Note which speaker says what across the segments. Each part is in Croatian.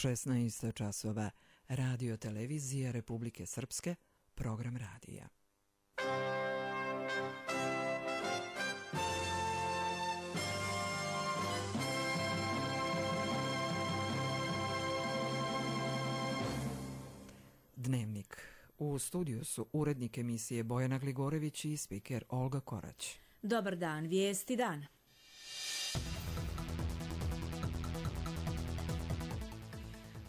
Speaker 1: 16 časova. Radio televizije Republike Srpske, program radija. Dnevnik. U studiju su urednik emisije Bojana Gligorević i spiker Olga Korać.
Speaker 2: Dobar dan, vijesti dan.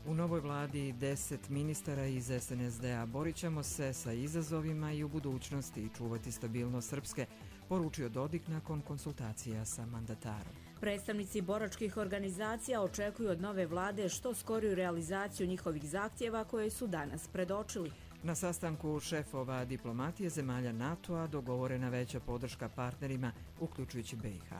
Speaker 1: U novoj vladi 10 ministara iz SNSD-a. Borit ćemo se sa izazovima i u budućnosti čuvati stabilnost Srpske, poručio Dodik nakon konsultacija sa mandatarom.
Speaker 2: Predstavnici boračkih organizacija očekuju od nove vlade što skoriju realizaciju njihovih zahtjeva koje su danas predočili.
Speaker 1: Na sastanku šefova diplomatije zemalja NATO-a dogovorena veća podrška partnerima, uključujući BiH.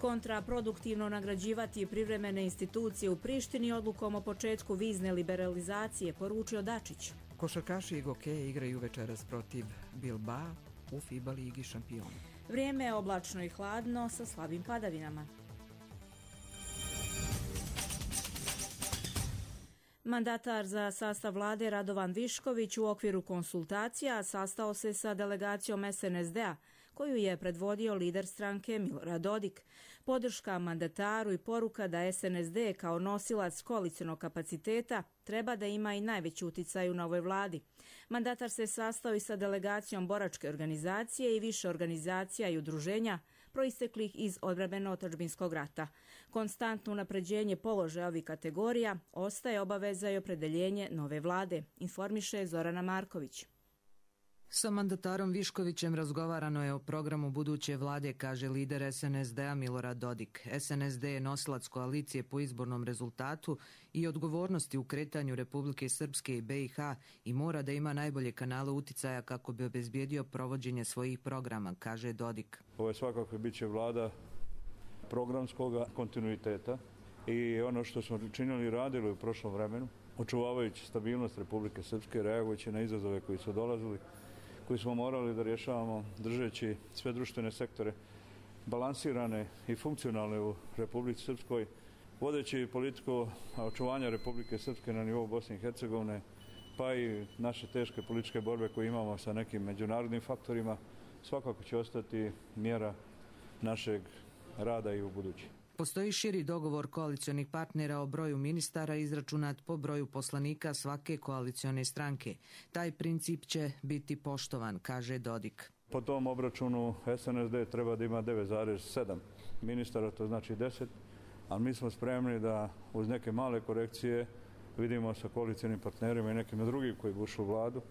Speaker 2: Kontraproduktivno nagrađivati privremene institucije u Prištini odlukom o početku vizne liberalizacije, poručio Dačić.
Speaker 1: Košarkaši i gokeje igraju večeras protiv Bilbao u FIBA ligi šampiona.
Speaker 2: Vrijeme je oblačno i hladno sa slabim padavinama. Mandatar za sastav vlade Radovan Višković u okviru konsultacija sastao se sa delegacijom SNSD-a, koju je predvodio lider stranke Milorad Dodik. Podrška mandataru i poruka da SNSD kao nosilac koalicionog kapaciteta treba da ima i najveći uticaj u novoj vladi. Mandatar se sastao i sa delegacijom boračke organizacije i više organizacija i udruženja proisteklih iz odbrambeno-otadžbinskog rata. Konstantno unapređenje položaja ovih kategorija ostaje obaveza i opredeljenje nove vlade, informiše Zorana Marković.
Speaker 3: Sa mandatarom Viškovićem razgovarano je o programu buduće vlade, kaže lider SNSD-a Milorad Dodik. SNSD je nosilac koalicije po izbornom rezultatu i odgovornosti u kretanju Republike Srpske i BiH i mora da ima najbolje kanale uticaja kako bi obezbijedio provođenje svojih programa, kaže Dodik.
Speaker 4: Ovo je svakako bit će vlada programskog kontinuiteta i ono što smo činili i radili u prošlom vremenu, očuvavajući stabilnost Republike Srpske, reagujući na izazove koji su dolazili, koji smo morali da rješavamo držeći sve društvene sektore balansirane i funkcionalne u Republici Srpskoj, vodeći politiku očuvanja Republike Srpske na nivou Bosne i Hercegovine, pa i naše teške političke borbe koje imamo sa nekim međunarodnim faktorima, svakako će ostati mjera našeg rada i u budući.
Speaker 3: Postoji širi dogovor koalicionih partnera o broju ministara izračunat po broju poslanika svake koalicione stranke. Taj princip će biti poštovan, kaže Dodik.
Speaker 4: Po tom obračunu SNSD treba da ima 9,7 ministara, to znači 10, ali mi smo spremni da uz neke male korekcije vidimo sa koalicionim partnerima i nekim drugim koji bušu vladu,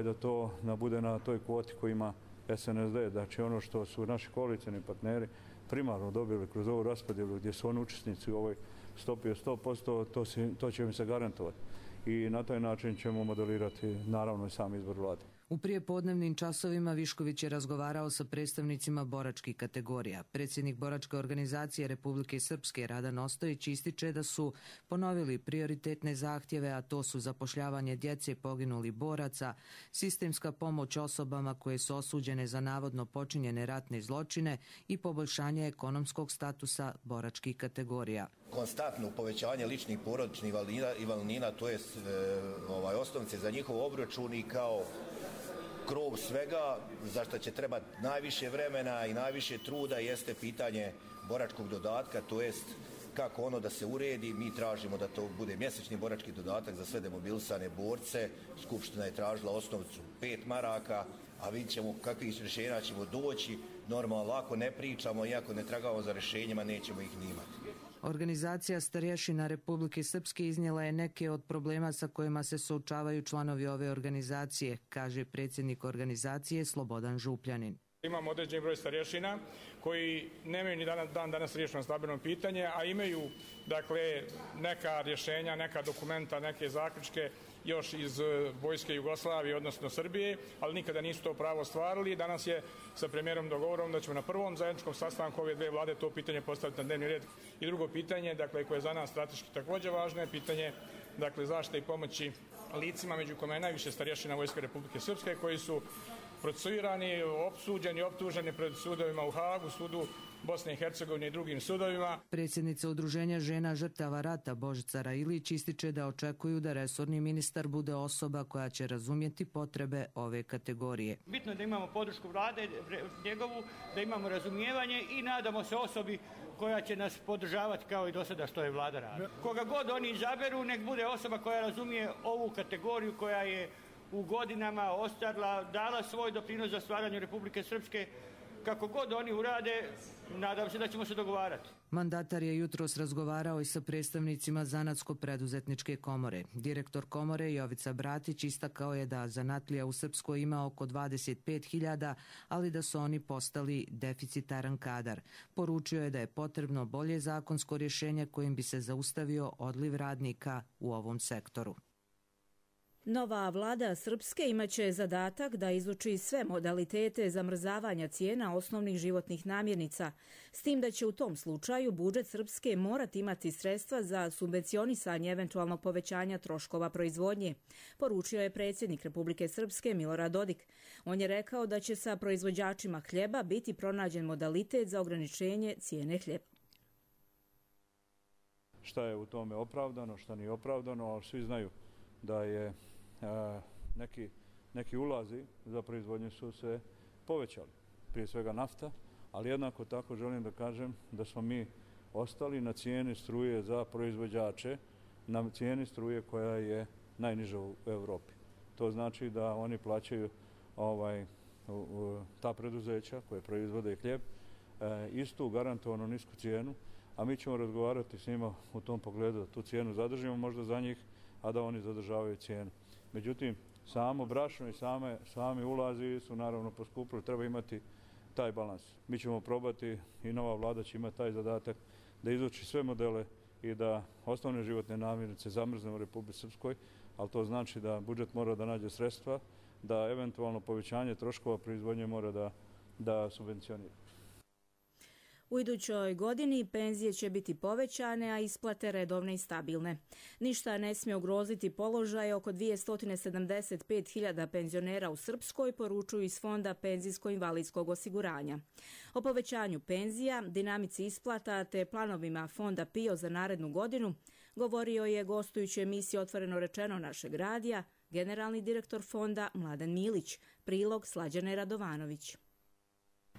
Speaker 4: da to bude na toj kvoti koji ima SNSD. Znači ono što su naši koalicijni partneri primarno dobili kroz ovu raspodjelu gdje su oni učesnici u ovoj stopi od 100%, to će im se garantovati. I na taj način ćemo modelirati naravno i sam izbor vlade.
Speaker 3: U prijepodnevnim časovima Višković je razgovarao sa predstavnicima boračkih kategorija. Predsjednik boračke organizacije Republike Srpske Radan Ostojić ističe da su ponovili prioritetne zahtjeve, a to su zapošljavanje djece poginulih boraca, sistemska pomoć osobama koje su osuđene za navodno počinjene ratne zločine i poboljšanje ekonomskog statusa boračkih kategorija.
Speaker 5: Konstantno povećanje ličnih porodičnih invalidnina, to je osnovnice za njihov obračun i kao krov svega, za što će trebati najviše vremena i najviše truda jeste pitanje boračkog dodatka, to jest kako ono da se uredi. Mi tražimo da to bude mjesečni borački dodatak za sve demobilisane borce. Skupština je tražila osnovcu 5 maraka, a vidjet ćemo kakvih rješenja ćemo doći. Normalno, ako ne pričamo i ako ne tragamo za rješenjima, nećemo ih ni imati.
Speaker 3: Organizacija starješina Republike Srpske iznijela je neke od problema sa kojima se suočavaju članovi ove organizacije, kaže predsjednik organizacije Slobodan Župljanin.
Speaker 6: Imamo određen broj starješina koji nemaju ni dan danas riješeno stambeno pitanje, a imaju neka rješenja, neka dokumenta, neke zaključke još iz vojske Jugoslavije, odnosno Srbije, ali nikada nisu to pravo ostvarili. Danas je sa premijerom dogovorom da ćemo na prvom zajedničkom sastanku ove dve vlade to pitanje postaviti na dnevni red. I drugo pitanje, koje je za nas strateški također važno, je pitanje zaštite i pomoći licima, među kojima je najviše starješina Vojske Republike Srpske, koji su procesuirani, opsuđeni, optuženi pred sudovima u Hagu, sudu Bosne i Hercegovine i drugim sudovima.
Speaker 3: Predsjednica Udruženja žena žrtava rata Božica Railić ističe da očekuju da resorni ministar bude osoba koja će razumjeti potrebe ove kategorije.
Speaker 7: Bitno je da imamo podršku vlade njegovu, da imamo razumijevanje i nadamo se osobi koja će nas podržavati kao i do sada što je vlada radila. Koga god oni izaberu, nek bude osoba koja razumije ovu kategoriju koja je u godinama ostarila, dala svoj doprinos za stvaranje Republike Srpske. Kako god oni urade, nadam se da ćemo se dogovarati.
Speaker 3: Mandatar je jutros razgovarao i sa predstavnicima Zanatsko-preduzetničke komore. Direktor komore Jovica Bratić istakao je da zanatlija u Srpskoj ima oko 25.000, ali da su oni postali deficitaran kadar. Poručio je da je potrebno bolje zakonsko rješenje kojim bi se zaustavio odliv radnika u ovom sektoru.
Speaker 2: Nova vlada Srpske imaće zadatak da izuči sve modalitete zamrzavanja cijena osnovnih životnih namirnica, s tim da će u tom slučaju budžet Srpske morati imati sredstva za subvencionisanje eventualnog povećanja troškova proizvodnje, poručio je predsjednik Republike Srpske Milorad Dodik. On je rekao da će sa proizvođačima hljeba biti pronađen modalitet za ograničenje cijene hljeba.
Speaker 4: Šta je u tome opravdano, šta nije opravdano, ali svi znaju da je neki ulazi za proizvodnju su se povećali. Prije svega nafta, ali jednako tako želim da kažem da smo mi ostali na cijeni struje za proizvođače, na cijeni struje koja je najniža u Europi. To znači da oni plaćaju ta preduzeća koje proizvode hljeb istu garantovanu nisku cijenu, a mi ćemo razgovarati s njima u tom pogledu da tu cijenu zadržimo možda za njih, a da oni zadržavaju cijenu. Međutim, samo brašno i sami ulazi su naravno poskupili, treba imati taj balans. Mi ćemo probati i nova vlada će imati taj zadatak da izuči sve modele i da osnovne životne namirnice zamrznemo u Republici Srpskoj, ali to znači da budžet mora da nađe sredstva, da eventualno povećanje troškova proizvodnje mora da subvencionira.
Speaker 2: U idućoj godini penzije će biti povećane, a isplate redovne i stabilne. Ništa ne smije ugroziti položaj oko 275.000 penzionera u Srpskoj, poručuju iz Fonda penzijsko-invalidskog osiguranja. O povećanju penzija, dinamici isplata te planovima Fonda PIO za narednu godinu govorio je gostujući emisiji Otvoreno rečeno našeg radija generalni direktor Fonda Mladen Milić, prilog Slađane Radovanović.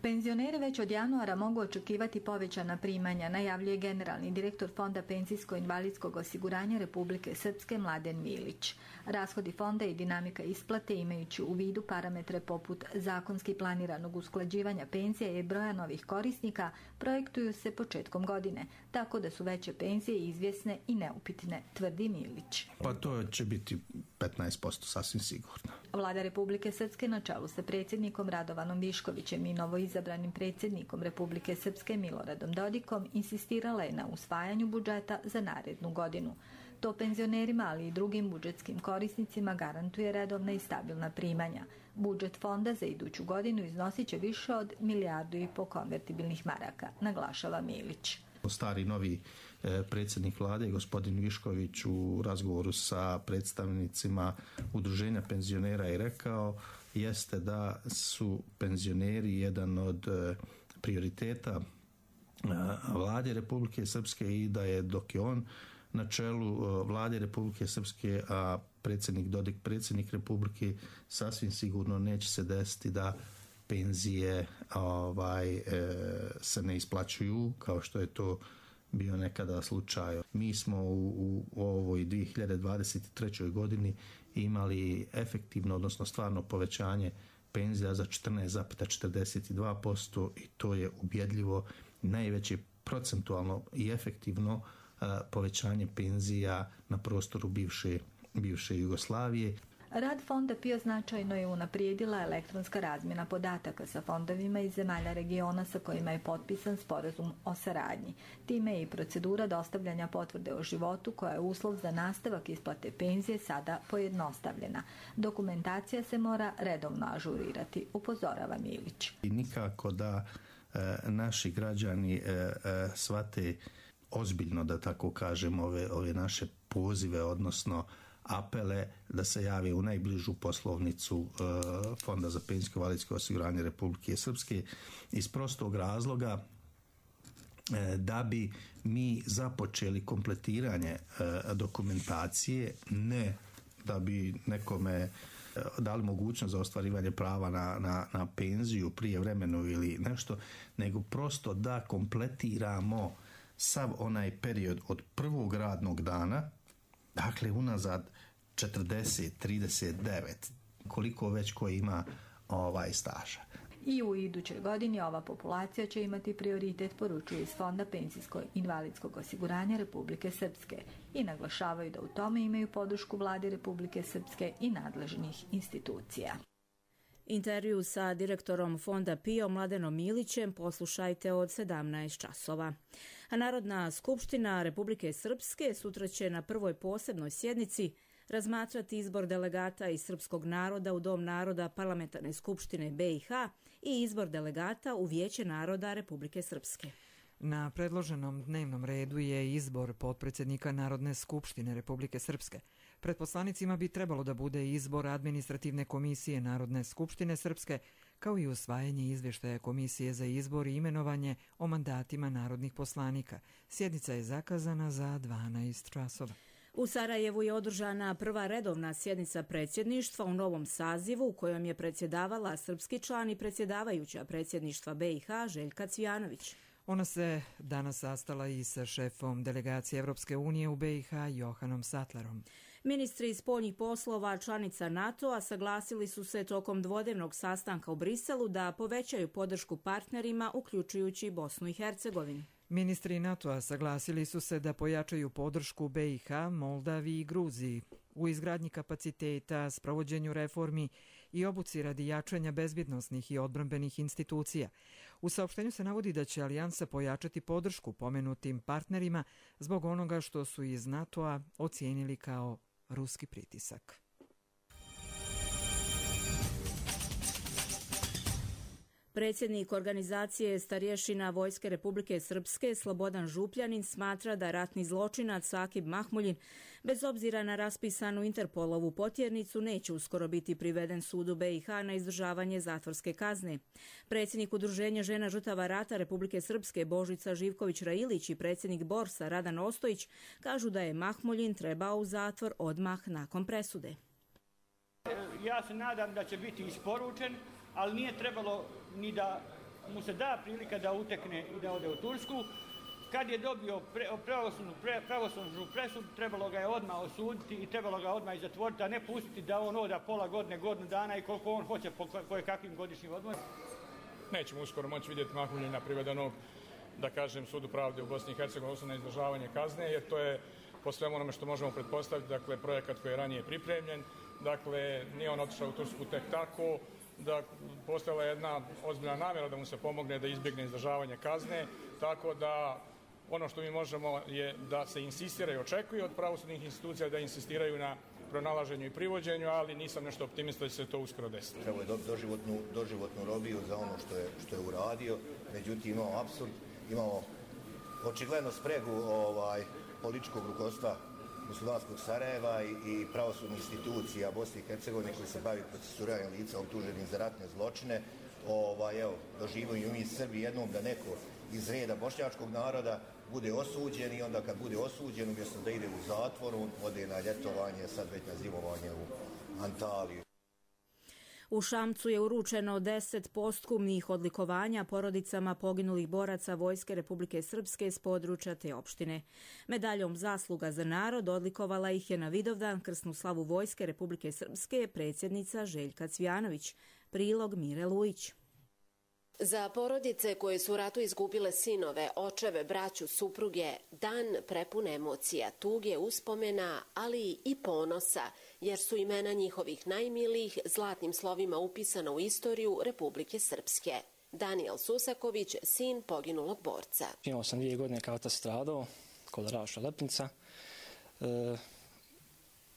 Speaker 8: Penzioneri već od januara mogu očekivati povećana primanja, najavljuje generalni direktor Fonda penzijsko-invalidskog osiguranja Republike Srpske Mladen Milić. Rashodi fonda i dinamika isplate imajući u vidu parametre poput zakonski planiranog usklađivanja penzija i broja novih korisnika projektuju se početkom godine, tako da su veće penzije izvjesne i neupitne, tvrdi Milić.
Speaker 9: Pa to će biti 15% sasvim sigurno.
Speaker 8: Vlada Republike Srpske na čelu sa predsjednikom Radovanom Viškovićem i novoizabranim predsjednikom Republike Srpske Miloradom Dodikom insistirala je na usvajanju budžeta za narednu godinu. To penzionerima, ali i drugim budžetskim korisnicima garantuje redovna i stabilna primanja. Budžet fonda za iduću godinu iznosit će više od 1,5 milijardu konvertibilnih maraka, naglašava Milić.
Speaker 9: Stari novi predsjednik vlade, gospodin Višković, u razgovoru sa predstavnicima udruženja penzionera je rekao jeste da su penzioneri jedan od prioriteta vlade Republike Srpske i da je dok je on na čelu vlade Republike Srpske, a predsjednik Dodik predsjednik Republike, sasvim sigurno neće se desiti da penzije se ne isplaćuju kao što je to bio nekada slučaj. Mi smo u ovoj 2023. godini imali efektivno, odnosno stvarno povećanje penzija za 14,42% i to je ubjedljivo najveće procentualno i efektivno povećanje penzija na prostoru bivše Jugoslavije.
Speaker 8: Rad Fonda PIO značajno je unaprijedila elektronska razmjena podataka sa fondovima iz zemalja regiona sa kojima je potpisan sporazum o saradnji. Time je i procedura dostavljanja potvrde o životu, koja je uslov za nastavak isplate penzije, sada pojednostavljena. Dokumentacija se mora redovno ažurirati, upozorava Milić.
Speaker 9: I nikako da naši građani shvate ozbiljno, da tako kažem, ove naše pozive, odnosno apele da se jave u najbližu poslovnicu Fonda za penzijsko i invalidsko osiguranje Republike Srpske iz prostog razloga da bi mi započeli kompletiranje dokumentacije, ne da bi nekome dali mogućnost za ostvarivanje prava na penziju prijevremenu ili nešto, nego prosto da kompletiramo sav onaj period od prvog radnog dana, dakle unazad 40, 39, koliko već ko ima staža.
Speaker 8: I u idućoj godini ova populacija će imati prioritet, poručuje iz Fonda penzijsko-invalidskog osiguranja Republike Srpske i naglašavaju da u tome imaju podršku Vlade Republike Srpske i nadležnih institucija.
Speaker 2: Intervju sa direktorom Fonda PIO Mladenom Milićem poslušajte od 17 časova. A Narodna skupština Republike Srpske sutra će na prvoj posebnoj sjednici razmatrati izbor delegata iz srpskog naroda u Dom naroda Parlamentarne skupštine BiH i izbor delegata u Vijeće naroda Republike Srpske.
Speaker 1: Na predloženom dnevnom redu je izbor potpredsjednika Narodne skupštine Republike Srpske. Pred poslanicima bi trebalo da bude izbor administrativne komisije Narodne skupštine Srpske, kao i usvajanje izvještaja Komisije za izbor i imenovanje o mandatima narodnih poslanika. Sjednica je zakazana za 12 časova.
Speaker 2: U Sarajevu je održana prva redovna sjednica predsjedništva u novom sazivu u kojom je predsjedavala srpski član i predsjedavajuća predsjedništva BiH Željka Cvijanović.
Speaker 1: Ona se danas sastala i sa šefom delegacije Evropske unije u BiH Johanom Sattlerom.
Speaker 2: Ministri spoljnih poslova članica NATO-a saglasili su se tokom dvodnevnog sastanka u Briselu da povećaju podršku partnerima, uključujući Bosnu i Hercegovinu.
Speaker 1: Ministri NATO-a saglasili su se da pojačaju podršku BiH, Moldaviji i Gruziji u izgradnji kapaciteta, sprovođenju reformi i obuci radi jačanja bezbjednosnih i odbrambenih institucija. U saopštenju se navodi da će alijansa pojačati podršku pomenutim partnerima zbog onoga što su iz NATO-a ocijenili kao ruski pritisak.
Speaker 2: Predsjednik organizacije starješina Vojske Republike Srpske Slobodan Župljanin smatra da ratni zločinac Akib Mahmuljin, bez obzira na raspisanu Interpolovu potjernicu, neće uskoro biti priveden sudu BiH na izdržavanje zatvorske kazne. Predsjednik Udruženja žena žrtava rata Republike Srpske Božica Živković-Railić i predsjednik Borsa Radan Ostojić kažu da je Mahmuljin trebao u zatvor odmah nakon presude.
Speaker 7: Ja se nadam da će biti isporučen, ali nije trebalo ni da mu se da prilika da utekne i da ode u Tursku. Kad je dobio pravosudnu presudu, trebalo ga je odmah osuditi i trebalo ga odmah i zatvoriti, a ne pustiti da on oda pola godine, godinu dana i koliko on hoće po kakvim godišnjim odmorima.
Speaker 6: Nećemo uskoro moći vidjeti Mahmuljina privedenog, da kažem, sudu pravde u Bosni i Hercegovini, odnosno na izdržavanje kazne, jer to je po svemu onome što možemo pretpostaviti, dakle, projekat koji je ranije pripremljen. Dakle, nije on otišao u Tursku tek tako, da postojala jedna ozbiljna namjera da mu se pomogne da izbjegne izdržavanje kazne, tako da ono što mi možemo je da se insistira i očekuje od pravosudnih institucija da insistiraju na pronalaženju i privođenju, ali nisam nešto optimista da će se to uskoro desiti.
Speaker 5: Trebalo je doživotnu robiju za ono što je uradio, međutim imamo apsurd, imamo očigledno spregu političkog rukovodstva muslimanskog Sarajeva i pravosudnih institucija Bosne i Hercegovine koji se bavi procesuiranjem lica optuženih za ratne zločine. Doživimo mi Srbi jednom da neko iz reda bošnjačkog naroda bude osuđen i onda kad bude osuđen, umjesto da ide u zatvor, on ode na ljetovanje, sad već na zimovanje u Antaliju.
Speaker 2: U Šamcu je uručeno 10 posthumnih odlikovanja porodicama poginulih boraca Vojske Republike Srpske s područja te opštine. Medaljom Zasluga za narod odlikovala ih je na Vidovdan krsnu slavu Vojske Republike Srpske predsjednica Željka Cvijanović. Prilog Mire Lujić.
Speaker 10: Za porodice koje su u ratu izgubile sinove, očeve, braću, supruge, dan prepun emocija, tuge, uspomena, ali i ponosa, jer su imena njihovih najmilijih zlatnim slovima upisana u istoriju Republike Srpske. Daniel Susaković, sin poginulog borca.
Speaker 11: Imao sam 2 godine kao otac stradao, kod Raša Lepnica.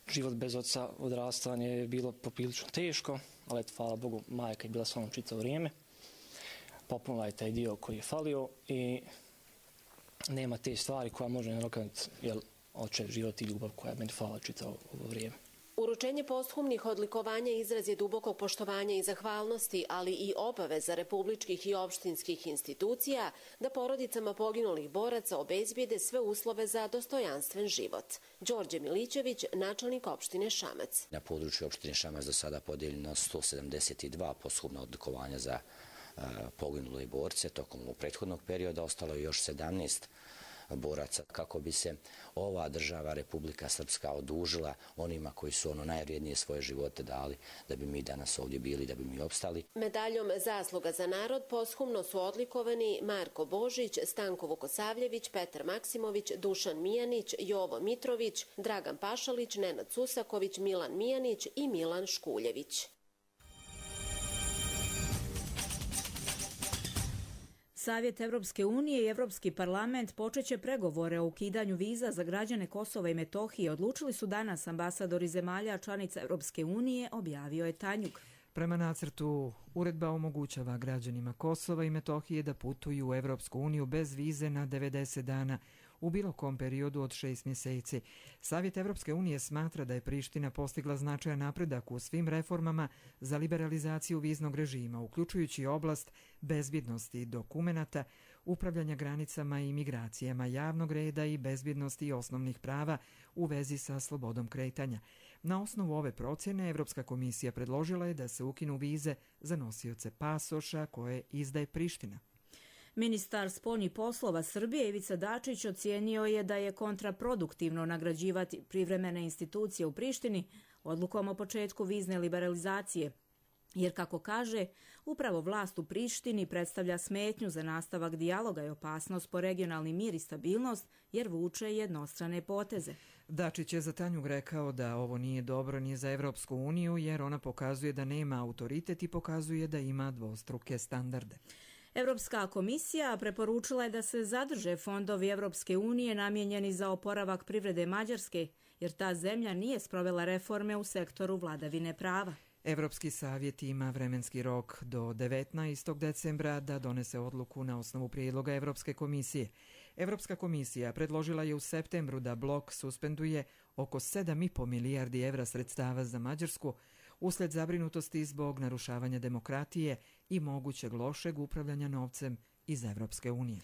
Speaker 11: Život bez oca, odrastanje je bilo poprilično teško, ali hvala Bogu, majka je bila sa mnom čitavo vrijeme. Popunila je taj dio koji je falio i nema te stvari koja može nadoknaditi, jer očev život i ljubav koja je meni falila čitavo ovo vrijeme.
Speaker 10: Uručenje posthumnih odlikovanja izraz je dubokog poštovanja i zahvalnosti, ali i obaveza republičkih i opštinskih institucija da porodicama poginulih boraca obezbijede sve uslove za dostojanstven život. Đorđe Milićević, načelnik opštine Šamac.
Speaker 12: Na području opštine Šamac do sada podijeljeno 172 posthumna odlikovanja za poginule borce. Tokom prethodnog perioda ostalo je još 17 boraca kako bi se ova država, Republika Srpska, odužila onima koji su najvrijednije svoje živote dali da bi mi danas ovdje bili, da bi mi opstali.
Speaker 10: Medaljom Zasluga za narod posthumno su odlikovani Marko Božić, Stanko Vukosavljević, Petar Maksimović, Dušan Mijanić, Jovo Mitrović, Dragan Pašalić, Nenad Susaković, Milan Mijanić i Milan Škuljević.
Speaker 2: Savjet Evropske unije i Evropski parlament počeće pregovore o ukidanju viza za građane Kosova i Metohije. Odlučili su danas ambasadori zemalja članica Evropske unije, objavio je Tanjug.
Speaker 1: Prema nacrtu, uredba omogućava građanima Kosova i Metohije da putuju u Evropsku uniju bez vize na 90 dana u bilo kom periodu od 6 mjeseci. Savjet Evropske unije smatra da je Priština postigla značajan napredak u svim reformama za liberalizaciju viznog režima, uključujući oblast bezbjednosti dokumenata, upravljanja granicama i migracijama, javnog reda i bezbjednosti i osnovnih prava u vezi sa slobodom kretanja. Na osnovu ove procjene, Evropska komisija predložila je da se ukinu vize za nosioce pasoša koje izdaje Priština.
Speaker 2: Ministar spoljnih poslova Srbije Ivica Dačić ocijenio je da je kontraproduktivno nagrađivati privremene institucije u Prištini odlukom o početku vizne liberalizacije, jer, kako kaže, upravo vlast u Prištini predstavlja smetnju za nastavak dijaloga i opasnost po regionalni mir i stabilnost, jer vuče jednostrane poteze.
Speaker 1: Dačić je za Tanjug rekao da ovo nije dobro ni za Evropsku uniju, jer ona pokazuje da nema autoritet i pokazuje da ima dvostruke standarde.
Speaker 2: Evropska komisija preporučila je da se zadrže fondovi Evropske unije namijenjeni za oporavak privrede Mađarske, jer ta zemlja nije sprovela reforme u sektoru vladavine prava.
Speaker 1: Evropski savjet ima vremenski rok do 19. decembra da donese odluku na osnovu prijedloga Evropske komisije. Evropska komisija predložila je u septembru da blok suspenduje oko 7,5 milijardi evra sredstava za Mađarsku usled zabrinutosti zbog narušavanja demokratije i mogućeg lošeg upravljanja novcem iz Evropske unije.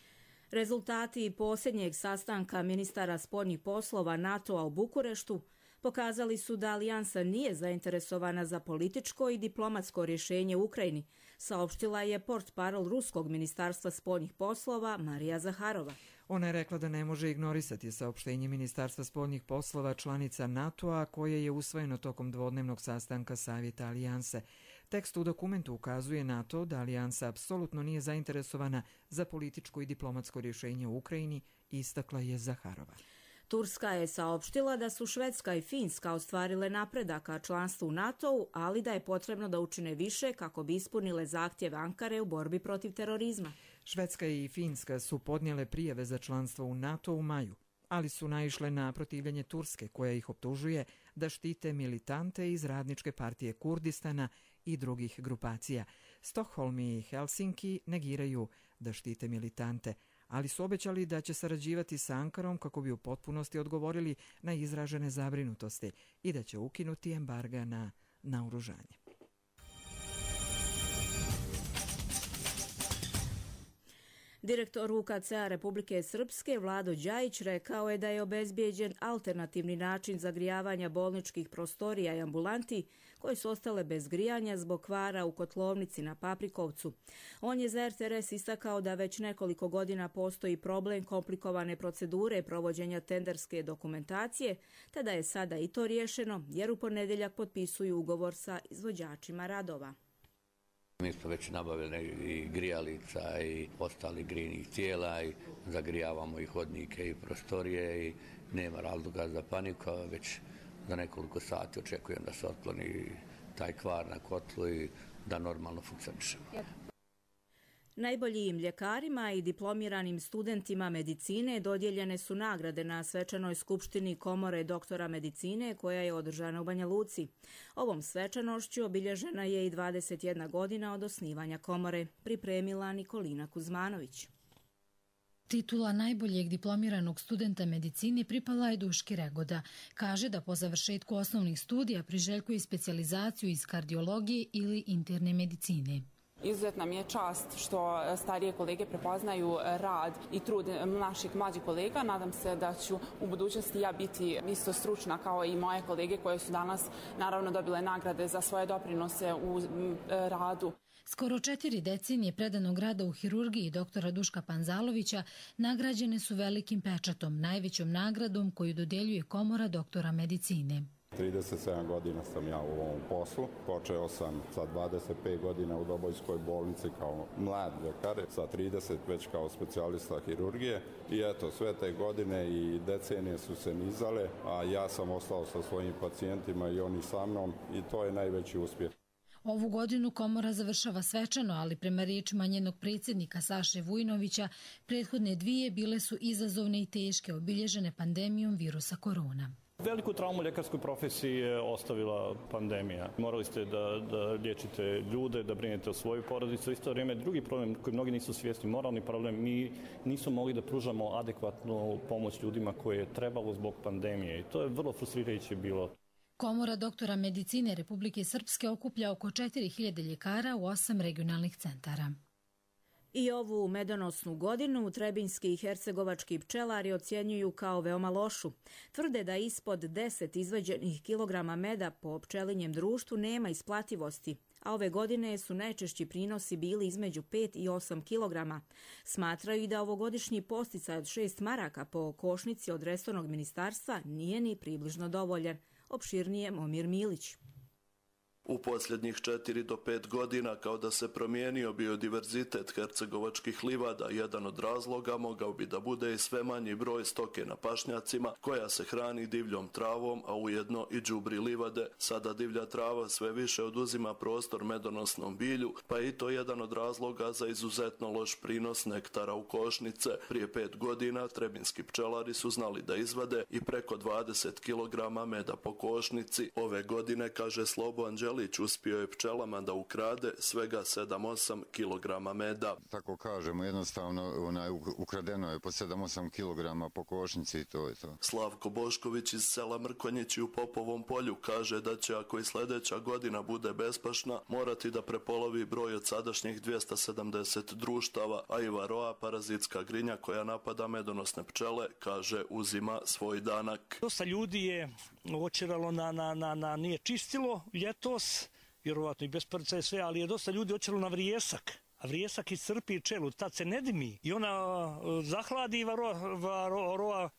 Speaker 2: Rezultati posljednjeg sastanka ministara spoljnih poslova NATO-a u Bukureštu pokazali su da alijansa nije zainteresovana za političko i diplomatsko rješenje u Ukrajini, saopštila je portparol Ruskog ministarstva spoljnih poslova Marija Zaharova.
Speaker 1: Ona je rekla da ne može ignorisati saopštenje Ministarstva spoljnih poslova članica NATO-a koje je usvojeno tokom dvodnevnog sastanka Savjeta alijanse. Tekst u dokumentu ukazuje na to da alijansa apsolutno nije zainteresovana za političko i diplomatsko rješenje u Ukrajini, istakla je Zaharova.
Speaker 2: Turska je saopštila da su Švedska i Finska ostvarile napredak ka članstvu u NATO-u, ali da je potrebno da učine više kako bi ispunile zahtjeve Ankare u borbi protiv terorizma.
Speaker 1: Švedska i Finska su podnijele prijave za članstvo u NATO u maju, ali su naišle na protivljenje Turske koja ih optužuje da štite militante iz Radničke partije Kurdistana i drugih grupacija. Stockholm i Helsinki negiraju da štite militante, ali su obećali da će sarađivati sa Ankarom kako bi u potpunosti odgovorili na izražene zabrinutosti i da će ukinuti embarga na naoružanje.
Speaker 2: Direktor UKC-a Republike Srpske Vlado Đajić rekao je da je obezbijeđen alternativni način zagrijavanja bolničkih prostorija i ambulanti koje su ostale bez grijanja zbog kvara u kotlovnici na Paprikovcu. On je za RTRS istakao da već nekoliko godina postoji problem komplikovane procedure provođenja tenderske dokumentacije, te da je sada i to riješeno jer u ponedjeljak potpisuju ugovor sa izvođačima radova.
Speaker 13: Mi smo već nabavili i grijalica i ostalih grijnih tijela i zagrijavamo i hodnike i prostorije i nema razloga za paniku, već za nekoliko sati očekujem da se otkloni taj kvar na kotlu i da normalno funkcionišemo.
Speaker 2: Najboljim ljekarima i diplomiranim studentima medicine dodijeljene su nagrade na svečanoj skupštini Komore doktora medicine koja je održana u Banja Luci. Ovom svečanošću obilježena je i 21 godina od osnivanja komore, pripremila Nikolina Kuzmanović.
Speaker 14: Titula najboljeg diplomiranog studenta medicine pripala je Duški Regoda. Kaže da po završetku osnovnih studija priželjkuje specijalizaciju iz kardiologije ili interne medicine.
Speaker 15: Izuzetna mi je čast što starije kolege prepoznaju rad i trud naših mlađih kolega. Nadam se da ću u budućnosti ja biti isto stručna kao i moje kolege koje su danas naravno dobile nagrade za svoje doprinose u radu.
Speaker 14: Skoro 4 decenije predanog rada u hirurgiji doktora Duška Panzalovića nagrađene su velikim pečatom, najvećom nagradom koju dodeljuje Komora doktora medicine.
Speaker 16: 37 godina sam ja u ovom poslu. Počeo sam sa 25 godina u Dobojskoj bolnici kao mlad ljekar, sa 30 već kao specijalista hirurgije. I eto, sve te godine i decenije su se nizale, a ja sam ostao sa svojim pacijentima i oni sa mnom i to je najveći uspjeh.
Speaker 14: Ovu godinu Komora završava svečano, ali prema riječima njenog predsjednika Saše Vujnovića, prethodne dvije bile su izazovne i teške, obilježene pandemijom virusa korona.
Speaker 17: Veliku traumu ljekarskoj profesiji je ostavila pandemija. Morali ste da liječite ljude, da brinete o svoju porodicu. Isto vrijeme drugi problem koji mnogi nisu svjesni, moralni problem, mi nismo mogli da pružamo adekvatnu pomoć ljudima koje je trebalo zbog pandemije i to je vrlo frustrirajuće bilo.
Speaker 14: Komora doktora medicine Republike Srpske okuplja oko 4000 ljekara u 8 regionalnih centara.
Speaker 2: I ovu medonosnu godinu trebinjski i hercegovački pčelari ocjenjuju kao veoma lošu. Tvrde da ispod 10 izvađenih kilograma meda po pčelinjem društvu nema isplativosti, a ove godine su najčešći prinosi bili između 5 i 8 kilograma. Smatraju i da ovogodišnji posticaj od 6 maraka po košnici od resornog ministarstva nije ni približno dovoljan. Opširnije Momir Milić.
Speaker 18: U posljednjih 4 do 5 godina kao da se promijenio biodiverzitet hercegovačkih livada, jedan od razloga mogao bi da bude i sve manji broj stoke na pašnjacima koja se hrani divljom travom, a ujedno i đubri livade. Sada divlja trava sve više oduzima prostor medonosnom bilju, pa je i to jedan od razloga za izuzetno loš prinos nektara u košnice. Prije 5 godina trebinski pčelari su znali da izvade i preko 20 kg meda po košnici. Ove godine, kaže Slobo Anđelić, uspio je pčelama da ukrade svega 7-8 kg meda.
Speaker 19: Tako kažemo, jednostavno ukradeno je po 7-8 kg po košnici i to je to.
Speaker 18: Slavko Bošković iz sela Mrkonjići u Popovom polju kaže da će, ako i sljedeća godina bude bespašna, morati da prepolovi broj od sadašnjih 270 društava, a i varoa, parazitska grinja koja napada medonosne pčele, kaže, uzima svoj danak.
Speaker 20: Dosta ljudi je očeralo na nije čistilo ljetos, vjerovatno i bez prca i sve, ali je dosta ljudi očeralo na vrijesak. A vrijesak iscrpi pčelu, tad se ne dimi i ona zahladi i varova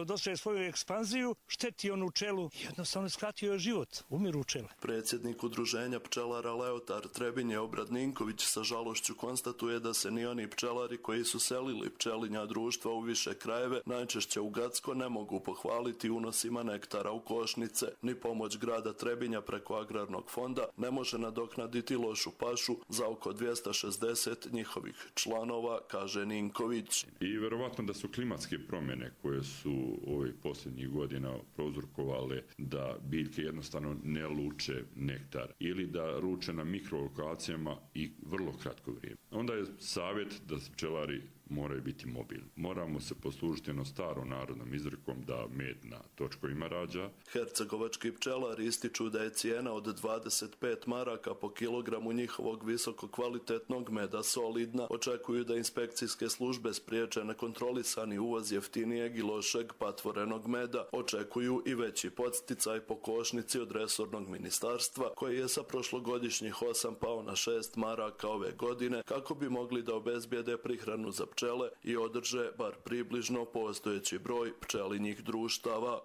Speaker 20: dostaje svoju ekspanziju, šteti onu pčelu i jednostavno skratio je život, umiru pčele.
Speaker 18: Predsjednik udruženja pčelara Leotar Trebinje Obrad Ninković sa žalošću konstatuje da se ni oni pčelari koji su selili pčelinja društva u više krajeve, najčešće u Gacko, ne mogu pohvaliti unosima nektara u košnice. Ni pomoć grada Trebinja preko agrarnog fonda ne može nadoknaditi lošu pašu za oko 260 njihovih članova, kaže Ninković.
Speaker 21: I verovatno da su klimatske promjene koje su ovih posljednjih godina prouzrokovale da biljke jednostavno ne luče nektar ili da ruče na mikrolokacijama i vrlo kratko vrijeme. Onda je savjet da pčelari moraju biti mobilni. Moramo se poslužiti jednom starom narodnom izrekom da med na točkovima rađa.
Speaker 18: Hercegovački pčelari ističu da je cijena od 25 maraka po kilogramu njihovog visoko kvalitetnog meda solidna. Očekuju da inspekcijske službe spriječe nekontrolisani uvoz jeftinijeg i lošeg patvorenog meda. Očekuju i veći podsticaj po košnici od resornog ministarstva, koji je sa prošlogodišnjih 8 pao na 6 maraka ove godine, kako bi mogli da obezbijede prihranu za pčele i održe bar približno postojeći broj pčelinjih društava.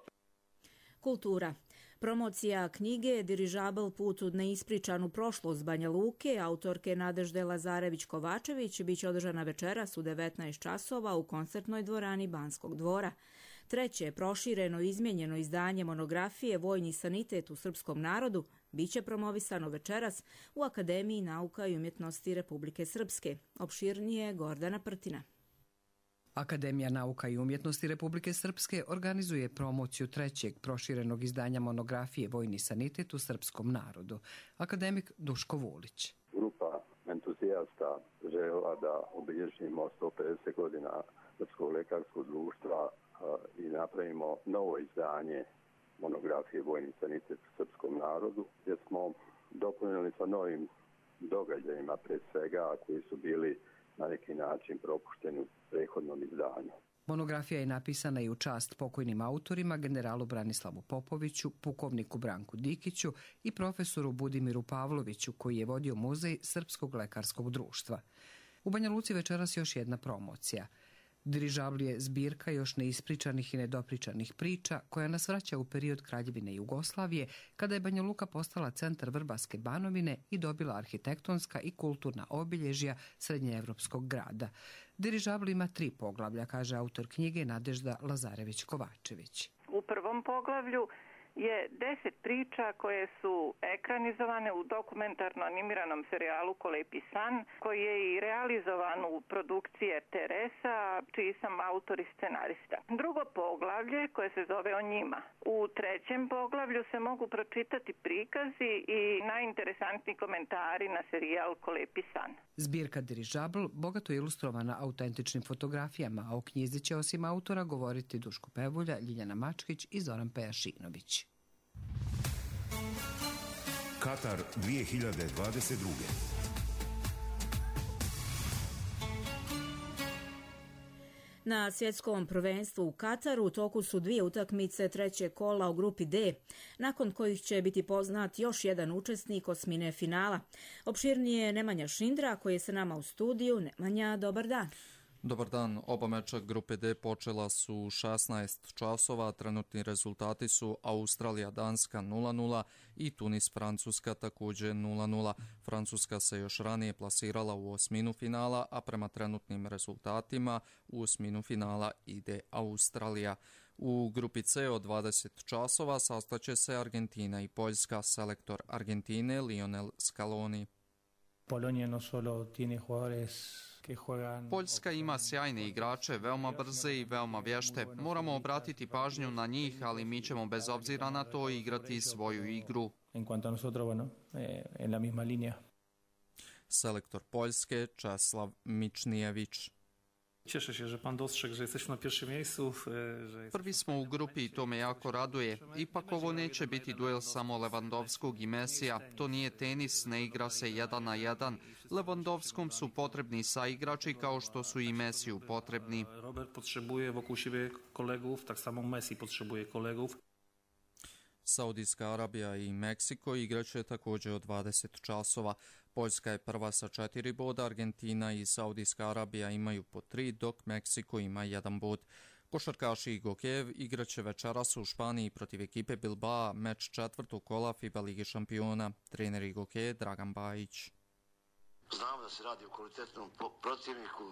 Speaker 2: Kultura. Promocija knjige Dirižabl put u neispričanu prošlost Banja Luke, autorke Nadežde Lazarević-Kovačević, biće održana večeras u 19 časova u koncertnoj dvorani Banskog dvora. Treće, prošireno i izmijenjeno izdanje monografije Vojni sanitet u srpskom narodu biće promovisano večeras u Akademiji nauka i umjetnosti Republike Srpske. Opširnije Gordana Prtina.
Speaker 22: Akademija nauka i umjetnosti Republike Srpske organizuje promociju trećeg proširenog izdanja monografije Vojni sanitet u srpskom narodu. Akademik Duško Vulić.
Speaker 23: Grupa entuzijasta
Speaker 3: entuzijasta željela da obilježimo 150 godina Srpskog lekarskog društva i napravimo novo izdanje monografije Vojni sanitet u srpskom narodu, gdje smo dopunili sa novim događajima, pre svega, koji su bili na neki način propušteni u prethodnom izdanju.
Speaker 22: Monografija je napisana i u čast pokojnim autorima, generalu Branislavu Popoviću, pukovniku Branku Dikiću i profesoru Budimiru Pavloviću, koji je vodio muzej Srpskog lekarskog društva. U Banja Luci večeras još jedna promocija. Dirižabl je zbirka još neispričanih i nedopričanih priča koja nas vraća u period Kraljevine Jugoslavije, kada je Banja Luka postala centar Vrbaske Banovine i dobila arhitektonska i kulturna obilježja srednjeevropskog grada. Dirižabl ima 3 poglavlja, kaže autor knjige Nadežda Lazarević-Kovačević.
Speaker 4: U prvom poglavlju je 10 priča koje su ekranizovane u dokumentarno animiranom serijalu Kolepi san, koji je i realizovan u produkciji RTS-a, čiji sam autor i scenarista. Drugo poglavlje, koje se zove O njima. U trećem poglavlju se mogu pročitati prikazi i najinteresantniji komentari na serijal Kolepi san.
Speaker 22: Zbirka Dirižabl bogato je ilustrovana autentičnim fotografijama, a o knjizi će osim autora govoriti Duško Pevulja, Ljiljana Mačkić i Zoran Pejašinović.
Speaker 23: Katar 2022.
Speaker 2: Na svjetskom prvenstvu u Kataru u toku su 2 utakmice trećeg kola u grupi D, nakon kojih će biti poznat još jedan učesnik osmine finala. Opširnije Nemanja Šindra, koji je sa nama u studiju. Nemanja, dobar dan.
Speaker 24: Dobar dan. Oba meča grupe D počela su 16 časova. Trenutni rezultati su Australija-Danska 0-0 i Tunis-Francuska također 0-0. Francuska se još ranije plasirala u osminu finala, a prema trenutnim rezultatima u osminu finala ide Australija. U grupi C od 20 časova sastaće se Argentina i Poljska. Selektor Argentine Lionel Scaloni.
Speaker 25: Poljska ima sjajne igrače, veoma brze i veoma vješte. Moramo obratiti pažnju na njih, ali mi ćemo bez obzira na to igrati svoju igru.
Speaker 24: Selektor Poljske Česlav Mičnijević.
Speaker 26: Cieszę się, że pan dostrzegł, że jesteśmy na pierwszym miejscu.
Speaker 25: Prvi smo u grupi i to me jako raduje. Ipak ovo neće biti duel samo Lewandowskog i Mesija. To nije tenis, ne igra se 1-1. Lewandowskom su potrebni saigrači kao što su i Mesiju potrebni.
Speaker 26: Robert potrzebuje wokół siebie kolegów, tak samo Messi potrzebuje kolegów.
Speaker 24: Saudijska Arabija i Meksiko igraće također od 20 časova. Poljska je prva sa 4 boda, Argentina i Saudijska Arabija imaju po 3, dok Meksiko ima 1 bod. Košarkaši i Gokejev igraće večeras u Španiji protiv ekipe Bilbao, meč četvrtog kola FIBA Lige šampiona. Trener i Gokeje Dragan Bajić.
Speaker 27: Znamo da se radi o kvalitetnom protivniku,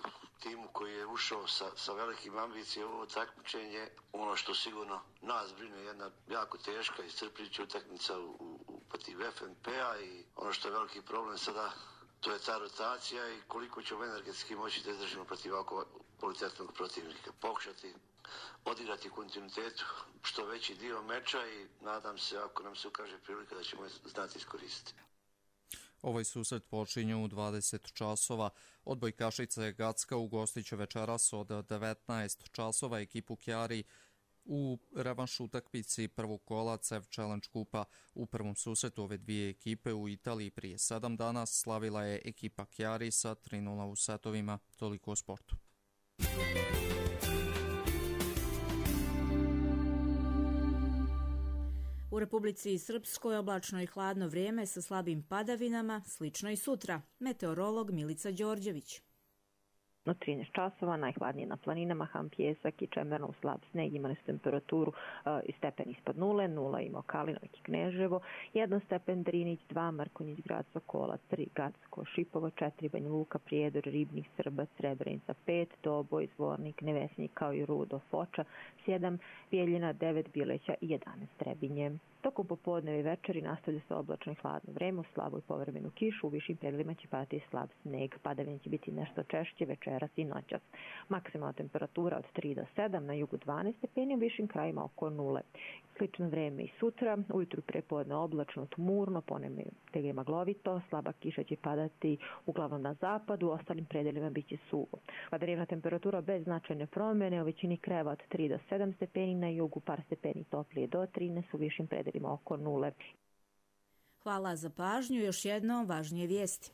Speaker 27: timu koji je ušao sa velikim ambicijama u ovo takmičenje. Ono što sigurno nas brine, jedna jako teška i iscrpljujuća utakmica protiv FNP-a i ono što je veliki problem sada, to je ta rotacija i koliko ćemo energetski moći da izdržimo protiv ovako kvalitetnog protivnika. Pokušati odigrati kontinuitetu što veći dio meča i nadam se, ako nam se ukaže prilika, da ćemo znati iskoristiti.
Speaker 24: Ovaj susret počinje u 20 časova. Odbojkašice Gacka ugostit će večeras od 19 časova ekipu Chiari u revanš utakmici prvog kola CEV Challenge Kupa. U prvom susretu ove dvije ekipe u Italiji prije 7 dana slavila je ekipa Chiari sa 3-0 u setovima. Toliko o sportu.
Speaker 2: U Republici Srpskoj oblačno i hladno vrijeme sa slabim padavinama, slično i sutra. Meteorolog Milica Đorđević.
Speaker 28: No 13 časova, najhladnije na planinama, Ham Pjesak i Čemerno, slab sneg, imali su temperaturu i stepen ispod 0 ima Kalinovik i Kneževo, 1 stepen Drinić, 2 Mrkonjić, Grad Sokola, 3 Gacko, Šipovo, 4 Banja Luka, Prijedor, Ribnik, Srbac, Srebrenica, 5 Doboj, Zvornik, Nevesnik kao i Rudo, Foča, 7 Bijeljina, 9 Bileća i 11 Trebinje. Tokom popodneva i večeri nastavlja se oblačno i hladno vreme, uz slabu i povremenu kišu, u višim predelima će padati slab sneg. Padavine će biti nešto češće večeras i noćas. Maksimalna temperatura od 3 do 7, na jugu 12 stepeni, u višim krajima oko 0. Slično vreme i sutra, ujutru prepodne oblačno, tmurno, ponegdje maglovito, slaba kiša će padati uglavnom na zapadu, u ostalim predelima biće suvo. Padavina temperatura bez značajne promjene, u većini krajeva od 3 do 7 stepeni, na jugu par stepeni toplije do 13, u višim predelima oko 0.
Speaker 2: Hvala za pažnju. Još jednom važnije vijesti.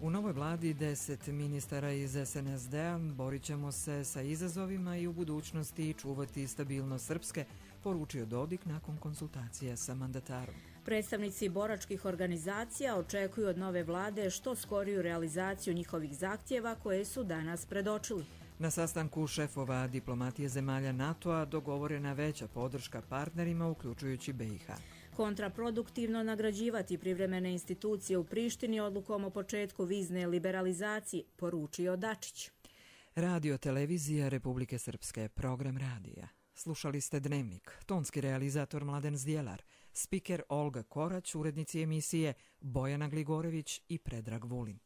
Speaker 1: U novoj vladi 10 ministara iz SNSD-a borit ćemo se sa izazovima i u budućnosti čuvati stabilnost Srpske, poručio Dodik nakon konsultacija sa mandatarom.
Speaker 2: Predstavnici boračkih organizacija očekuju od nove vlade što skoriju realizaciju njihovih zahtjeva koje su danas predočili.
Speaker 1: Na sastanku šefova diplomatije zemalja NATO-a dogovorena veća podrška partnerima, uključujući BiH.
Speaker 2: Kontraproduktivno nagrađivati privremene institucije u Prištini odlukom o početku vizne liberalizacije, poručio Dačić.
Speaker 1: Radio televizija Republike Srpske, program radija. Slušali ste Dnevnik, tonski realizator Mladen Zdjelar, spiker Olga Korać, urednici emisije Bojana Gligorević i Predrag Vulin.